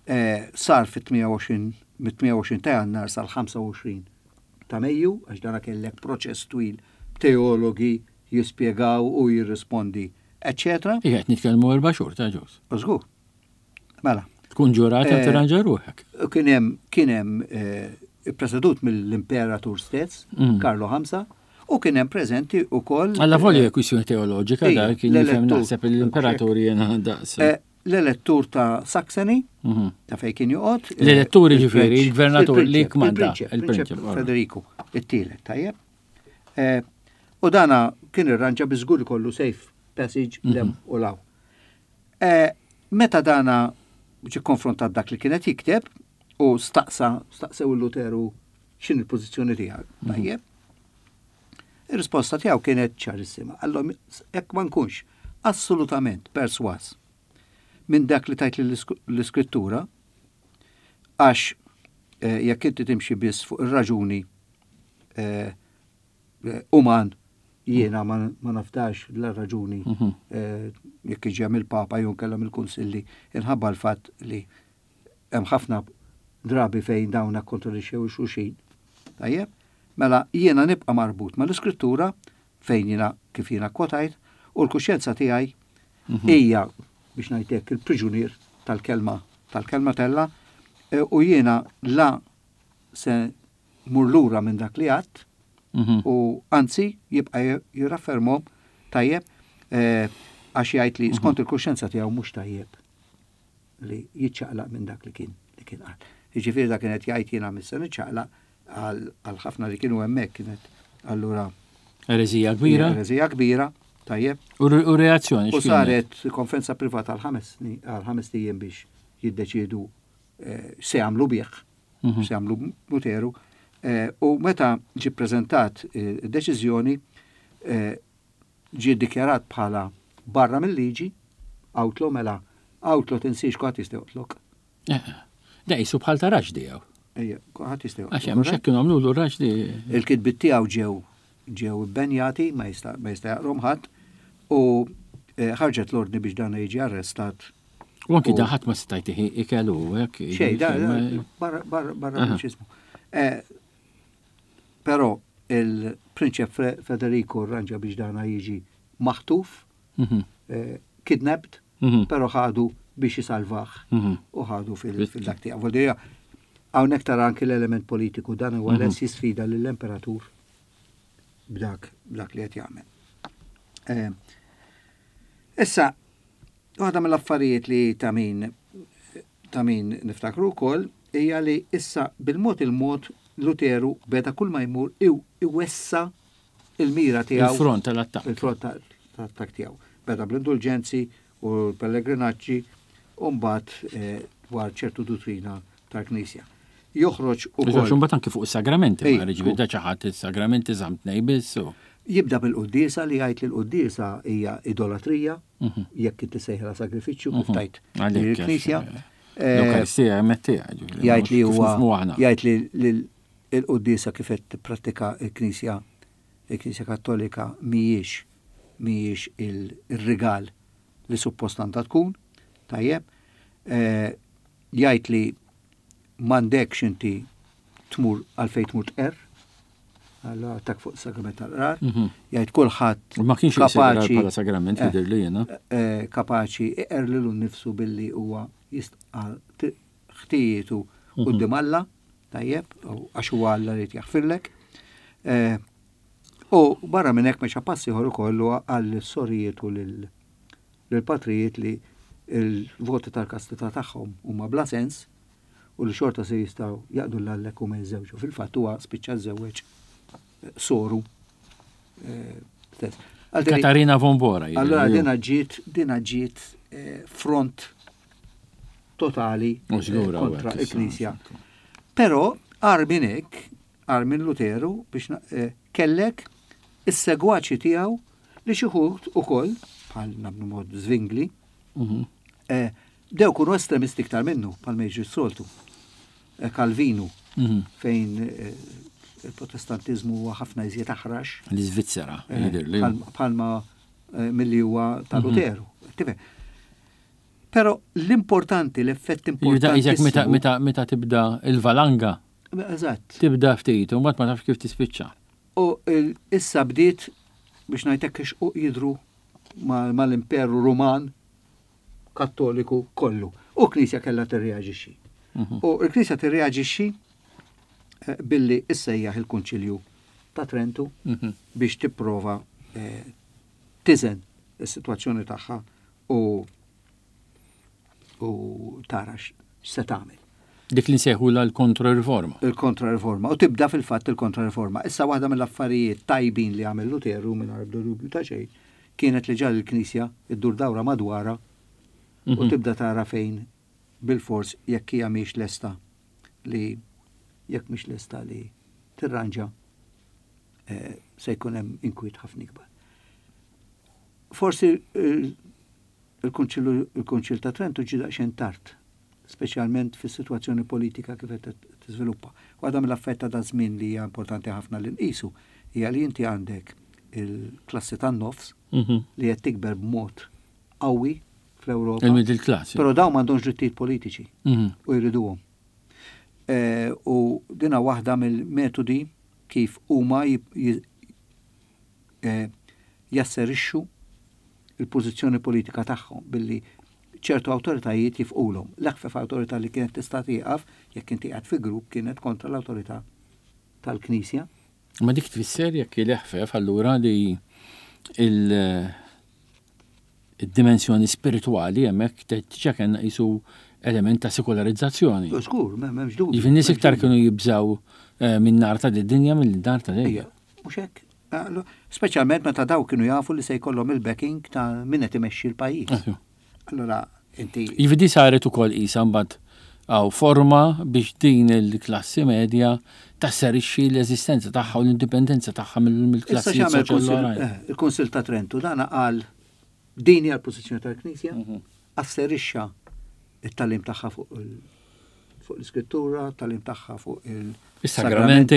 eh, sar fit-tmienja u għoxrin, mit-tmienja u għoxrin ta' Jannar sal-ħamsa u għoxrin ta' Mejju, għax dana kellek proċess twil, teologi jispjegaw u jirrispondi, eccetera. Ija, qed nitkellmu erba' xhur ta' ġus. Żgur. Mela. Tkun ġurata tirranġa ruħek. Kien hemm kien hemm ippresedut mill-Imperatur stess, Mm. Karlo Ħamsa, u kien hemm preżenti wkoll Alla volja kwistjoni teoloġika Ija, da kien jifhem l-elettur. naħseb l-imperatur jena daqs. eh, l-elettur ta' Saxony, Mhm. ta' fejn kien joqgħod. eh, L-elettur il-prinċ- jiġifieri, il-gvernatur li il-prinċep, kmanda, Il-prinċep, il-prinċep, il-prinċep ora. Federiku, it-tielet, tajjeb. Eh, U dana kien irranġa biżgur ikollu safe passage Mhm. lem u law. Eh, Meta dana ġi konfrontat dak li kienet jikteb u staqsa, staqsew il-Luteru x'in il-pożizzjoni tiegħek, Mhm. tajjeb. Ir-risposta tiegħu kienet ċarissima. Allora jekk ma nkunx assolutament perswas minn dak li tajt l-iskrittura, għax eh, jekk inti timxi biss fuq ir-raġuni eh, eh, uman jiena ma ma nafdax la raġuni Mhm. eh, jekk iġi mill-Papa jew kellha mill-Kunsilli inħabba l-fatt li hemm ħafna drabi fejn dawna kontradixxew xulxin. Tajjeb? Mela jiena nibqa' marbut mal-iskrittura fejn jiena kif jiena kwotajt u l-kuxjenza tiegħi hija biex ngħidlek il-priġunier tal-kelma tal-kelma tella eh, u jiena la se mur lura minn dak li għadt Mhm. u anzi jibqa' jirraffermhom tajjeb eh, għax jgħid li skont il-kuxjenza tiegħu mhux tajjeb li jiċċaqlaq minn dak li kien li kien qal. Jiġifieri dak kienet jgħid jiena missa niċċaqlaq għal għal ħafna li kienu hemmhekk kienet allura Erezija kbira erezija kbira tajjeb u re- u reazzjoni u x'kienet? saret konferenza privata għal ħames sni- għal ħames ijiem biex jiddeċiedu eh, se jagħmlu bih, Mhm. se jagħmlu Luteru. Eh, U meta ġi preżentat eh, id-deċiżjoni eh, ġie ddikjarat bħala barra mill-liġi, outlaw mela, outlaw tinsiex kulħadd jista' joqtlok. Eh, Da jisu bħal ta' raġdi għaw. Ejja, kulħadd jista' Għax joqtlok. hemm xekk kienu għamlu raġdi. Il-kitbit tiegħu ġew ġew ibbenjati, ma jista' ma jista' jaqrom ħadd, u eh, ħarġet l-ordni biex dan jiġi arrestat. U anki U- da ħadd ma stajt ikelu hekk. Xej, da, da, ma- barra, barra, barra Aha. mill-ċismu. Eh, Però il-prinċep Fre- Federico rranġa biex dana jiġi maħtuf, Mhm. eh, kidnapped, Mhm. però ħadu biex jisalvah Mhm. u ħadu fil- fil-dak tiegħu. Vuol dire, Hawnhekk tara anki l-element politiku dan huwa Mhm. les jisfida lill-imperatur b'dak b'dak li qed jagħmel. Eh, Issa, waħda mill-affarijiet li ta' min ta' min niftakru wkoll hija li issa bil-mod il-mod Luteru beda kull ma jmur iw- iwessa il-mira tiegħu Il-front tal-attakk. il-front tal-attakk tiegħu. Beda bl-indulġenzi u l-pellegrinaġġi u mbagħad eh, dwar ċertu duttrina tal-Knisja. Joħroġ Ukoll. ukoll Mbagħad anki fuq is-sagramenti, Ej, ma ġifieri da xi ħadd is-sagramenti żamm tnej biss. u- jibda bil-quddiesa li jgħid li l-quddiesa hija idolatrija Mhm. jekk inti sejħla sagrifiċċju kif Mhm. tajt Għalhekk, il-Knisja. għax, Eh, L-Ewkaristija hemmhekk tiegħek. Jgħid li huwa huwa. jgħid li li l-quddiesa kif qed tipprattika l-Knisja il-Knisja Kattolika mhijiex mhijiex il-rigal li suppost għandha tkun, tajjeb. Eh, Jgħid li m'għandekx inti tmur għalfejn tmur tqerr, allora attak fuq sagrament tal-qrar, Mhm. jgħid kulħadd Ma kienx kapaċi kapaċi bħala sagrament Eh, jidher li jiena. eh, kapaċi iqer lilu nnifsu billi huwa jistqa ħtijietu Mhm. quddiem Alla, tajjeb, u għax huwa Alla li jaħfirlek. Eh, U barra minn hekk mexa passi ieħor ukoll huwa għall sorijiet u lil- lill-patrijiet li il-voti tal-kastità tagħhom huma bla sens u li xorta se jistgħu jaqdu l-għallek u ma jiżżewġu. Fil-fatt huwa spiċċa żewweġ eh, soru eh, stess. Għal Katarina von Bora. jidher Allora li hu. dina ġiet, dina ġiet eh, front totali U eh, żgur hawnhekk kontra issa, il-Knisja. Però Armin hekk, Armin Luteru biex na- eh, kellek is-segwaċi tiegħu li xi wħud ukoll bħal nabnu mod Zwingli, Mhm. eh, dew kunu estremisti iktar minnu bħal ma jiġri s-soltu. Eh, Calvinu Mhm. fejn eh, il-protestantizmu huwa ħafna iżjed aħrax L-Iżvizzera Eh, jidher li hu. bħal- Bħalma eh, milli huwa ta' Luteru. Tifhem? Però l-importanti, l-effett Jibda importanti. iżek meta meta meta tibda il-valanga Eżatt. tibda ftit u mbagħad ma tafx kif tispiċċa. U il- issa bdiet biex ngħidlek ixquq jidru ma- mal-Imperu Ruman Kattoliku kollu. U Knisja kellha tirreaġixxi. Mhm. U l-Knisja tirreaġixxi eh, billi issejjaħ il-Kunċilju ta' Trentu Mhm. biex tipprova eh, tiżen is-sitwazzjoni tagħha u u tara x'se tagħmel. Dik li nsejħula l-kontra-riforma. Il-kontra-riforma. U tibda fil-fatt il-kontra-riforma. Issa, waħda mill-affarijiet tajbin li għamel Luteru, minn dubju ta' xejn, kienet li ġagħal il-Knisja iddur dawra madwara u Mhm. tibda tara fejn bil-fors jekk hija mhix lesta li jekk mhix lesta li tirranġa, eh, se jkun hemm inkwiet ħafna ikbar. Forsi il-Kunċillu il-Kunċil ta' Trentu ġie daqsxejn tard, speċjalment fis-sitwazzjoni politika kif qed tiżviluppa. Waħda mill-affarijiet ta' daż-żmien li hija importanti ħafna li nqisu hija li inti għandek il-klassi tan-nofs Mhm. li qed tikber b'mod qawwi fl-Ewropa. Il-middle class. Però dawn m'għandhomx drittijiet politiċi Mhm. u jriduhom. E, u dina waħda mill-metodi kif huma jib- ji- e, jasserixxu il-pożizzjoni politika tagħhom billi ċertu awtoritajiet jifqulhom. L-eħfef awtorità li kienet tista' tieqaf jekk inti qiegħed fi grupp kienet kontra l-awtorità tal-Knisja. Ma dik tfisser jekk il-eħfef allura li il- il-dimensjoni spirituali hemmhekk diġà kellna qisu element ta' sekolarizzazzjoni. Żgur, m'hemmx dubju. Jiġifieri nies m'hemmx iktar dubju. kienu jibżaw eh, minn nar ta' dinja mill-nar ta' Ejja, dejja. mhux hekk. Allu- Speċjalment meta daw kienu jafu li se jkollhom il-backing ta' min qed imexxi l-pajjiż. Allora inti Jiġifieri di saret ukoll qisha mbagħad għaw forma biex din il-klassi medja tasserixxi l-eżistenza tagħha u l-indipendenza tagħha Issa mill-klassi x'għamel soċjali il-Kunsill oħrajn. eh, il-Kunsill ta' Trentu? Dana qal din hija l-pożizzjoni tal-Knisja, Mhm. asserixxa it-tagħlim tagħha fuq il- fuq l-iskrittura, tagħlim tagħha fuq il- Is-sagramenti.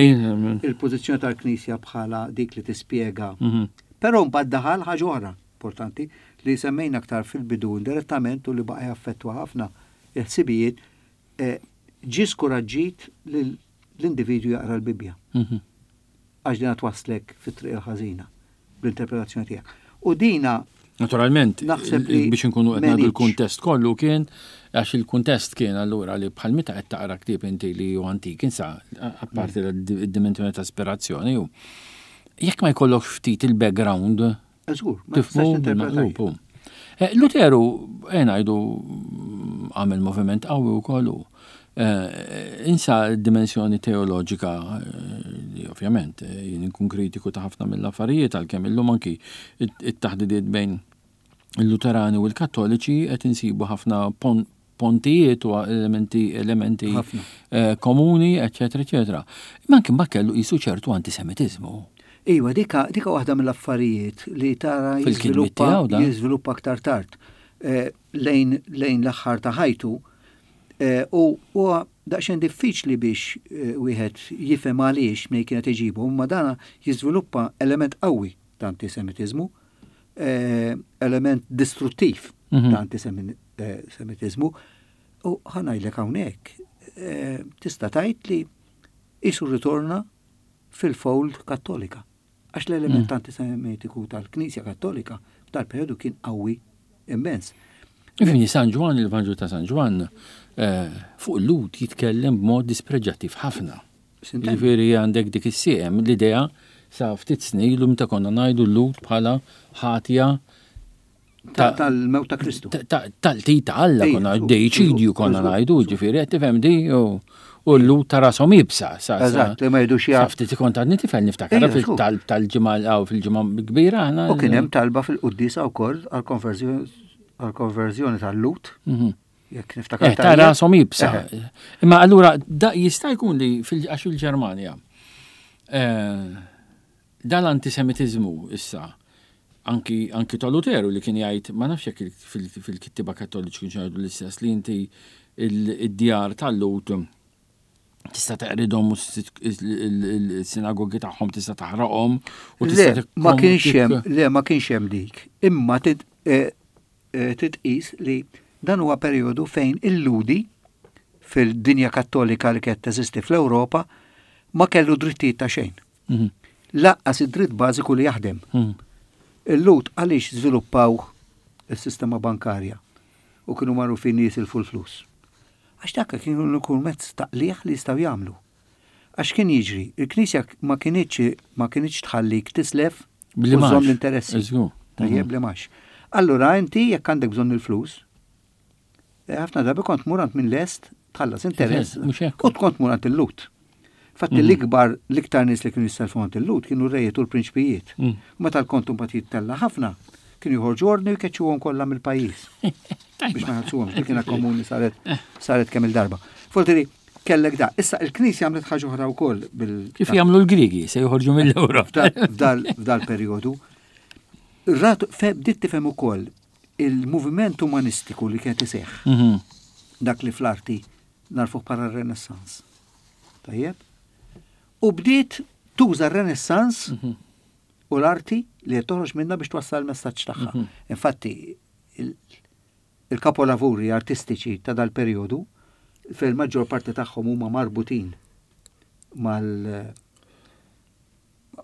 il-pożizzjoni tal-Knisja bħala dik li tispjega. Mhm. Però mbagħad daħal ħaġa oħra importanti li semmejna aktar fil-bidu indirettament u li baqa' jaffettwa ħafna il-ħsibijiet, eh, ġie skoraġġit lil l-individwu jaqra l-Bibbja Mhm. għax dina twaslek fit-triq il-ħażina bl-interpretazzjoni tiegħek. U dina Naturalment, Naħseb li biex inkunu qed ngħidu m'għenitx. l-kuntest kollu kien, għax il-kuntest kien allura li bħal meta qed taqra ktieb inti li hu antik, insa apparti l-dimensjoni ta' ispirazzjoni u jekk ma jkollokx ftit il-background Żgur, ma tistax tifhmu tinterpreta. bil-maqlub. hu. Eh, Luteru, eh, ngħidu, għamel moviment qawwi wkoll hu. Eh, Insa d-dimensjoni teoloġika eh, li ovvjament eh, jien inkun kritiku ta' ħafna mill-affarijiet, għalkemm illum anki it- it-taħdidiet bejn il-Luterani u l-Kattoliċi qed insibu ħafna pon- pontijiet u elementi elementi Ħafna. eh, komuni, eċetera, eċetera. Imma anki mbagħad kellu qisu ċertu antisemitiżmu. Iva, dika, dika waħda mill-affarijiet li tara Fil-kitbiet jiżviluppa tiegħu dan. jiżviluppa aktar tard eh, lejn, lejn l-aħħar ta' ħajtu eh, u huwa daqsxejn diffiċli biex eh, wieħed jifhem għaliex minn kienet iġibu, imma dana jiżviluppa element qawwi ta' antisemitiżmu, eh, element distruttiv Mhm. ta' antisemitiżmu u ħa ngħidlek hawnhekk eh, tista' tgħid li qisu ritorna fil-fold Kattolika. Għax l-element Mm. antisemitiku tal-Knisja Kattolika tal-periodu kien qawwi immens. Infini, San Ġwann, il-Vanġelu ta' San Ġwann, eh, fuq il-Lhud jitkellem b'mod dispreġġattiv ħafna. S'intendi. Ġifieri għandek dik is-siem l-idea sa ftit snin ilu meta konna ngħidu l-Lhud bħala ħatja Ta- Tal-mewt ta' Kristu. tal-ti ta' Alla Ejja, konna żgur, deiċidju żgur, konna żgur, ngħidu, żgur. ġifieri qed tifhem di u u l-Lhud ta' rashom iebsa. sa- sa- Eżatt, li ma jridux Sa ja- ftit ikont għadni tifel niftakar Ejja, żgur. fil-talb tal-ġimgħa aw fil-ġimgħa kbira aħna. U kien hemm talba fil-quddiesa wkoll għall-konverżjoni għall-konverżjoni tal-Lhud, Mhm. jekk niftakar Eh, ta' tajjeb. rashom iebsa. Eħe. Imma allura da jista' jkun li fil- għax fil-Ġermanja eh, dal-antisemitizmu issa anki, anki ta' Luteru li kien jgħid, ma nafx jekk il- fil- fil-kittiba Kattoliċi kienu jgħidu l-istess, li inti il- id-djar tal-Lhud tista' teqridhom u s-sinagogi tagħhom tista' taħraqhom u tista' Le, ma tikkom- kienx tik- hemm, le, ma kienx hemm dik. Imma tit- eh, eh, titqis li dan huwa perjodu fejn il-Lhudi fil-dinja Kattolika li kienet teżisti fl-Ewropa ma kellu drittijiet ta' xejn. Mhm, Lanqas id-dritt bażiku li jaħdem. mhm. Il-Lhud għaliex żviluppaw il-sistema bankarja u kienu magħrufin jisilfu l-flus? Għax dak kienu jkun mezz ta' qligħ li jistgħu jagħmlu. Għax kien jiġri, il-Knisja ma kinitx ma kinitx tħallik tislef Bli u żżomm mgħax. l-interessi. Żgur. Tajjeb li mgħax. Allura inti jekk għandek bżonn il-flus, eh, ħafna drabi kont tmur għand minn lest tħallas interess Mhux hekk. u tkont tmur għand il-Lhud. Fatti l-ikbar, l-iktar nies li kienu jisselfu għand il-Lhud kienu rejiet u l-prinċpijiet. Mm. U meta l-kontu mbagħad jittella ħafna, kienu joħorġu ordni u jkeċċuhom kollha mill-pajjiż biex ma jħallsuhomx, dik kienet komuni saret saret kemm il-darba. Foltiri, kellek da. Issa il-Knisja għamlet ħaġa oħra wkoll bil Kif jagħmlu l-Grigi se joħorġu mill-Ewro. f'dal f'dal perjodu. Rat fe bdiet tifhem ukoll il-moviment umanistiku li kien iseħħ, Mhm. dak li fl-arti narfuh bħala r-Renaissance. Tajjeb? U bdiet tuża r-Renaissance u l-arti li qed toħroġ minna biex twassal il-messaġġ tagħha. Infatti, il- il-kapolavuri artistiċi ta' dal-perjodu fil-maġġor parti tagħhom huma marbutin mal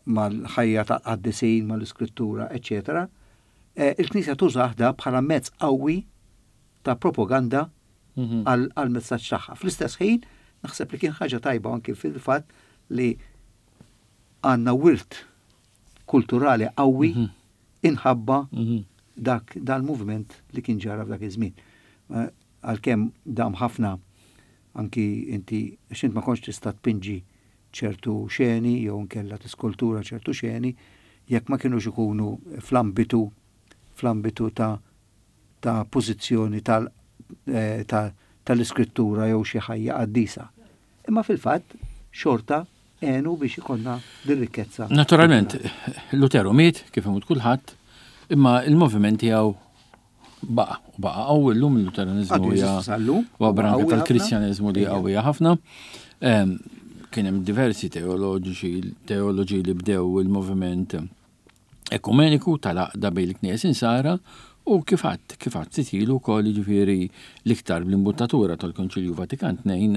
mal-ħajja ta' qaddisin, mal-iskrittura, eccetera. Eh, Il-Knisja tużah da bħala mezz qawwi ta' propaganda Mhm. għal messaġġ tagħha. Fl-istess ħin, naħseb li kien ħaġa tajba anki fil-fatt li għandna wirt kulturali qawwi Mhm. inħabba Mhm. dak dal-movement li kien ġara f'dak iż-żmien. Eh, Għalkemm dam ħafna anki inti għax int ma kontx tista' tpinġi ċertu xeni jew nkella tiskultura ċertu xeni jekk ma kienux ikunu fl-ambitu fl-ambitu ta' ta' pożizzjoni tal eh, ta' tal-iskrittura jew xi ħajja qaddisa. Imma fil-fatt xorta għenu biex ikollna din rikkezza. Naturalment, Lutero miet, kif imut kulħadd, imma il-moviment tiegħu baqa' u baqa' qawwi llum il-Luteranizmu Għadu hija jeżisti sal-lum, huwa branka qawwi ħafna. tal-Kristjaneżmu li Ejja. qawwija ħafna. Em, Kien hemm diversi teoloġiċi teoloġi li bdew il-moviment ekumeniku tal-għaqda bejn il-Knies Insara u kif għadt kif għadt ftit ilu wkoll jiġifieri l-iktar bl-imbuttatura tal-Konċilju Vatikan tnejn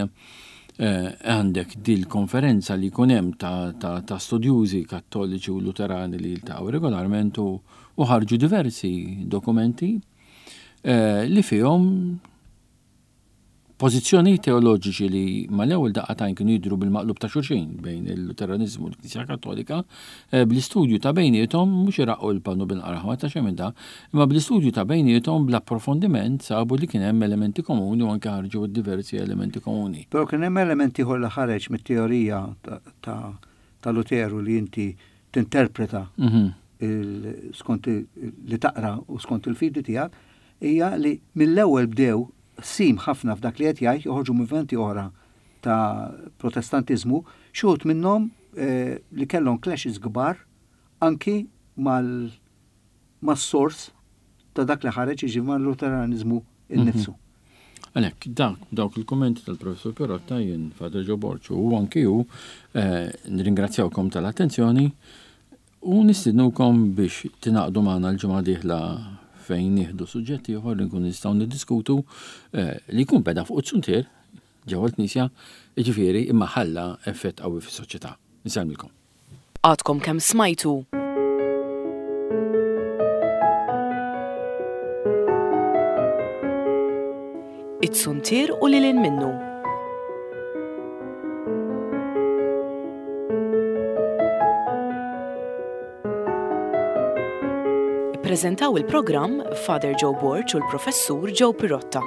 eh, għandek dil konferenza li jkun hemm ta', ta, ta' studjużi kattoliċi u luterani li jiltaqgħu regolarment u, u ħarġu diversi dokumenti eh, li fihom pożizzjoni teoloġiċi li mal-ewwel daqqa t'għajn kienu jidhru bil-maqlub ta' xulxin bejn il-Luteranizmu u l-Knisja Kattolika, eh, bl-istudju ta' bejniethom mhux iraqqu l-pannu bil-qraħma ta' xejn minn da, imma bl-istudju ta' bejniethom bl-approfondiment sabu li kien hemm elementi komuni u anke ħarġu diversi elementi komuni. Però kien hemm element ieħor li ħareġ mit-teorija ta', ta, ta' Luteru li inti tinterpreta Mhm. il- skont il- li taqra u skont il-fidi tiegħek hija li mill-ewwel bdew sim ħafna f'dak li qed jgħid joħorġu movimenti oħra ta' protestantiżmu, xi wħud minnhom eh, li kellhom clashes kbar anki mal mas-sors ta' dak li ħareġ jiġi mal-Luteranizmu innifsu. Għalhekk, dak, dawk il-kommenti tal-professor Pirotta jien Father Joe Borg u anki hu eh, nirringrazzjawkom tal-attenzjoni u nistidnukom biex tingħaqdu magħna l-ġimgħa dieħla fejn nieħdu suġġetti ieħor li nkun nistgħu niddiskutu eh, li jkun beda fuq it-suntier ġewwa l-Knisja, jiġifieri imma ħalla effett qawwi fis-soċjetà. Insellmilkom. Għadkom kemm smajtu It-suntier u lil hinn minnu. Ippreżentaw il-programm Father Joe Borg u l-Professur Joe Pirotta.